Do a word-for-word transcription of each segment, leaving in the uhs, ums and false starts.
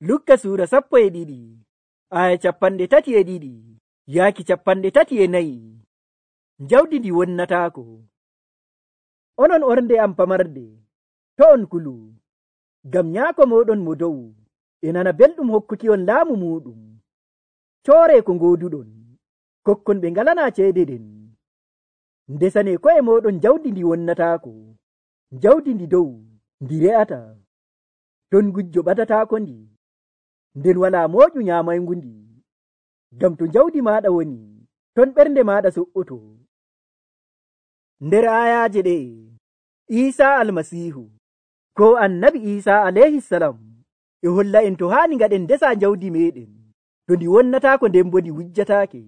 Lukka suura sappo e ɗiɗi aya capanɗe tati e ɗiɗi yaaki capanɗe tati e nayi. Jawdi ndi wonnataako. Onon ornde am pamarde, to on kulu, ngam nyaako moɗon mo dow e nana belɗum hokkuki on laamu muɗum. Coore ko ngoduɗon, kokkon ɓe ngalana ceede den. Ndesane ko'e moɗon jawdi ndi wonnataako, jawdi ndi dow ndi re'ata. Ton gujjo ɓadataako ndi, nden walaa mooƴu nyaamaygu ndi. Ngam to jawdi maaɗa woni, ton ɓernde maaɗa so'oto. Nder ayaaje ɗe, Iisaa Almasiihu ko annabi Iisaa alayhi salam e holla en to haani ngaɗen ndesa jawdi meɗen to ndi wonnataako nden bo ndi wujjataake.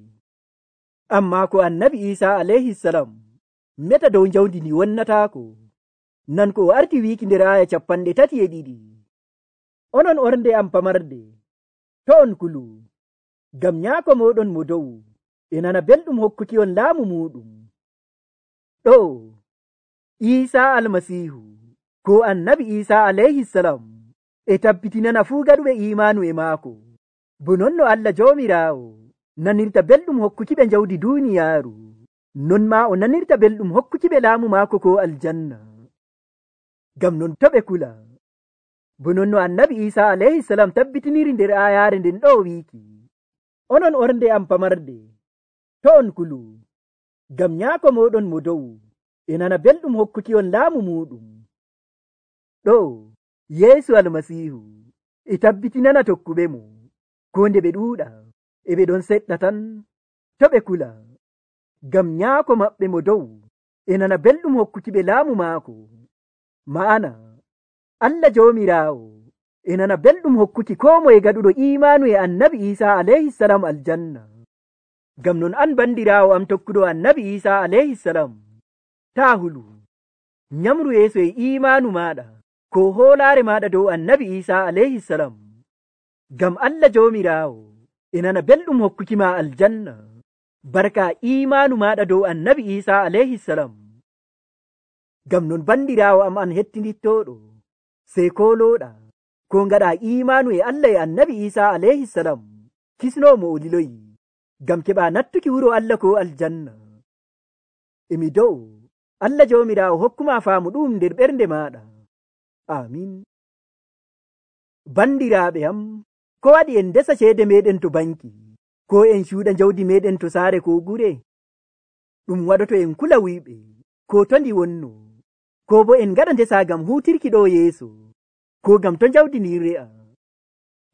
Ammaa ko annabi Iisaa alayhi salam meta dow jawdi ndi wonnataako. Nan ko o arti wiiki nder aya capanɗe tati e ɗiɗi. Onon ornde am pamarde, to on kulu, ngam nyaako moɗon mo dow e nana belɗum hokkuki on laamu muɗum. Ɗo Iisaa Almasiihu ko annabi Iisaa alayhi salam e tabbitinana fuu gaɗuɓe imaanu e maako, bo non no Allah Joomiraawo nanirta belɗum hokkuki ɓe jawdi duuniyaaru, non maa o nanirta belɗum hokkuki ɓe laamu maako ko aljanna. Ngam non to ɓe kula, bo non no annabi Iisaa alayhi salam tabbitiniri nder ayaare nden ɗo wiiki, onon ornde am pamarde, to on kulu, ngam nyaako moɗon mo dow e nana belɗum hokkuki on laamu muɗum. Ɗo Yeesu Almasiihu e tabbitinana tokkuɓe mo ko nde ɓe ɗuuɗa e ɓe ɗon seɗɗa tan, to ɓe kula, ngam nyaako maɓɓe mo dow e nana belɗum hokkuki ɓe laamu maako. Ma'ana Allah Joomiraawo e nana belɗum hokkuki koo moye gaɗuɗo imaanu e annabi Iisaa alayhi salam aljanna. Ngam non an bandiraawo am tokkuɗo annabi Iisaa alayhi salam, taa hulu, nyamru yeeso e imaanu maaɗa ko hoolaare maaɗa dow annabi Iisaa alayhi salam, ngam Allah Joomiraawo e nana belɗum hokkuki ma aljanna barka imaanu maaɗa dow annabi Iisaa alayhi salam. Ngam non bandiraawo am an hettinittooɗo, sey koolooɗa ko ngaɗa imaanu e Allah e annabi Iisaa alayhi salam, kisnoomo o liloyi, ngam keɓa nattuki wuro Allah ko aljanna. Emi dow Allah Joomiraawo hokkuma faamu ɗum nder ɓernde maaɗa. Amin. Bandiraaɓe am, ko waɗi en ndesa ceede meɗen to banki, ko en cuuɗa jawdi meɗen to saare ko gure? Ɗum waɗoto en kula wuyɓe ko to ndi wonno, ko bo en ngaɗa ndesa ngam huutirki ɗo yeeso, ko ngam to jawdi ndin re'a.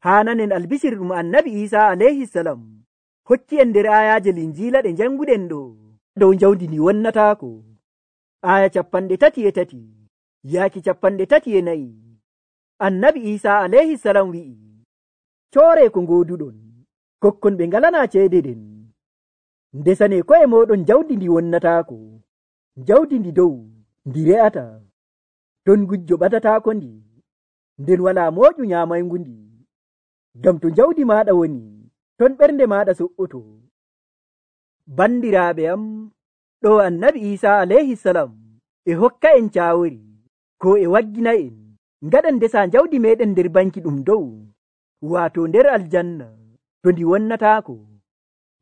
Haananen albisir ɗum annabi Iisaa alayhi salam hokki en nder ayaaje linjiila ɗe janguɗen ɗo dow jawdi ndi wonnataako. Aya capanɗe tati e tati yaaki capanɗe tati e nayi. Annabi Iisaa alayhi salam wi'i, coore ko ngoduɗon, kokkon ɓe ngalana ceede den. Ndesane ko'e moɗon jawdi ndi wonnataako, jawdi ndi dow ndi re'ata. Ton gujjo ɓadataako ndi, nden walaa mooƴu nyaamaygu ndi. Ngam to jawdi maaɗa woni, ton ɓernde maaɗa so'oto. Bandiraaɓe am, ɗo annabi Iisaa alayhi salam e hokka en caawori ko e waggina en ngaɗen ndesa jawdi meɗen nder banki ɗum dow, waato nder aljanna, to ndi wonnataako.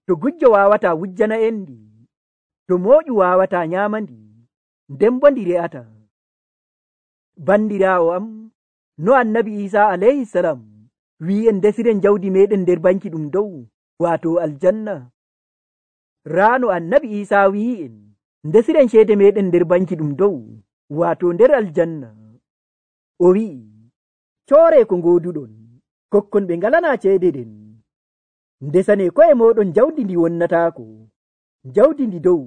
To gujjo waawata wujjana en ndi, to mooƴu waawata nyaama ndi, nden bo ndi re'ata. Bandiraawo am, no annabi Iisaa alayhi salam wi en ndesiren jawdi meɗen nder banki ɗum dow, waato aljanna. Raano annabi Iisaa wi'i en ndesiren ceede meɗen nder banki ɗum dow, waato nder aljanna. O wi'i, coore ko ngoduɗon, kokkon ɓe ngalana ceede den. Ndesane ko'e moɗon jawdi ndi wonnataako, jawdi ndi dow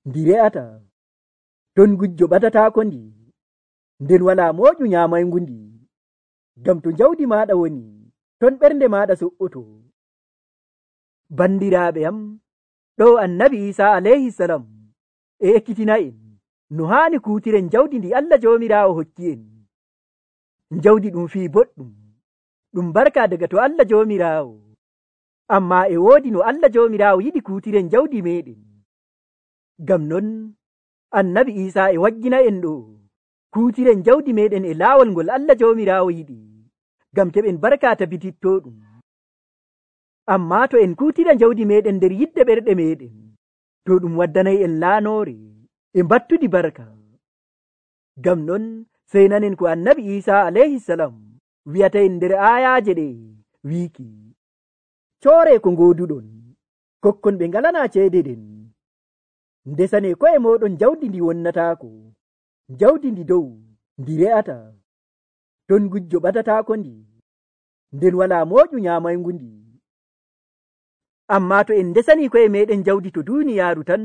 ndi re'ata. Ton gujjo ɓadataako ndi, nden walaa mooƴu nyaamaygu ndi. Ngam to jawdi maaɗa woni, ton ɓernde maaɗa so'oto. Bandiraaɓe am, ɗo annabi Iisaa alayhi salam e ekkitina en no haani kuutiren jawdi ndi Allah Joomiraawo hokki en. Jawdi ɗum fii boɗɗum, ɗum barka daga to Allah Joomiraawo, ammaa e woodi no Allah Joomiraawo yiɗi kuutiren jawdi meɗen. Ngam non annabi Iisaa e waggina en ɗo kuutiren jawdi meɗen e laawol ngol Allah Joomiraawo yiɗi, gam keɓen barka tabitittoɗum. Amma to en kutira jawdi meɗen nder yidde ɓerɗe meɗen, to ɗum waddanay en laanore e battudi barka. Gam non sey nanen ko annabi Isa alayhi salam wi'ata en nder ayaje ɗe wiki, coore ko ngoduɗon, kokkon ɓe ngalana ceede den, ndesane ko'e moɗon jawdi ndi wonnatako, jawdi ndi dow ndi re'ata, ton gujjo ɓatatako ndi, nden wala moƴu nyamaygu ndi. Amma to en ndesani ko'e meɗen jawdi to duniyaaru tan,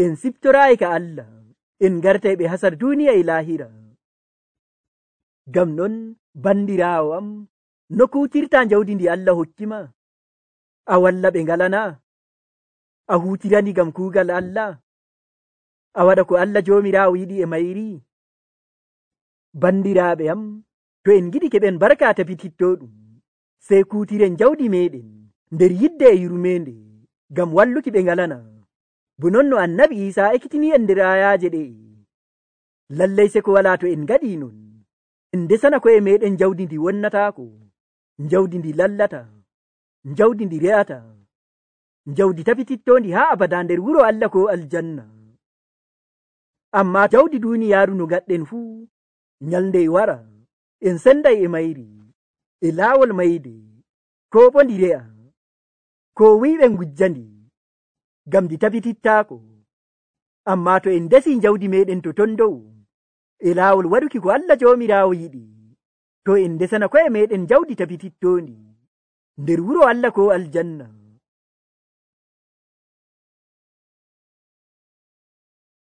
en siftorayi ka Allah, en gartay ɓe hasar duniya e lahira. Gam non bandirawo am, no kutirta jawdi ndi Allah hokkima? A walla ɓe ngalana? A hutirani gam kuugal Allah? A waɗa ko Allah jomirawo yiɗi e mayri? Bandiraɓe am, to en giɗi keɓen barka tabitittoɗum, sey kutiren jawdi meɗen nder yidde e yurmende gam walluki ɓe ngalana. Bo non no annabi Isa ekkitini en nder ayaje ɗe, lallay se ko wala to en ngaɗi non, en ndesana ko'e meɗen jawdi ndi wonnatako, jawdi ndi lallata, jawdi ndi re'ata, jawdi tabitittondi ha abada nder wuro Allah ko aljanna. Amma jawdi duniyaaru no gaɗɗen fuu, nyalde wara en senday e mayri, e laawol mayde, ko bo ndi re'a, ko wiɓe ngujjandi, gam ndi tabitittako. Amma to en desi jawdi meɗen to ton dow, e laawol waɗuki ko Allah jomirawo yiɗi, to en desana ko'e meɗen jawdi tabitittondi nder wuro Allah ko aljanna.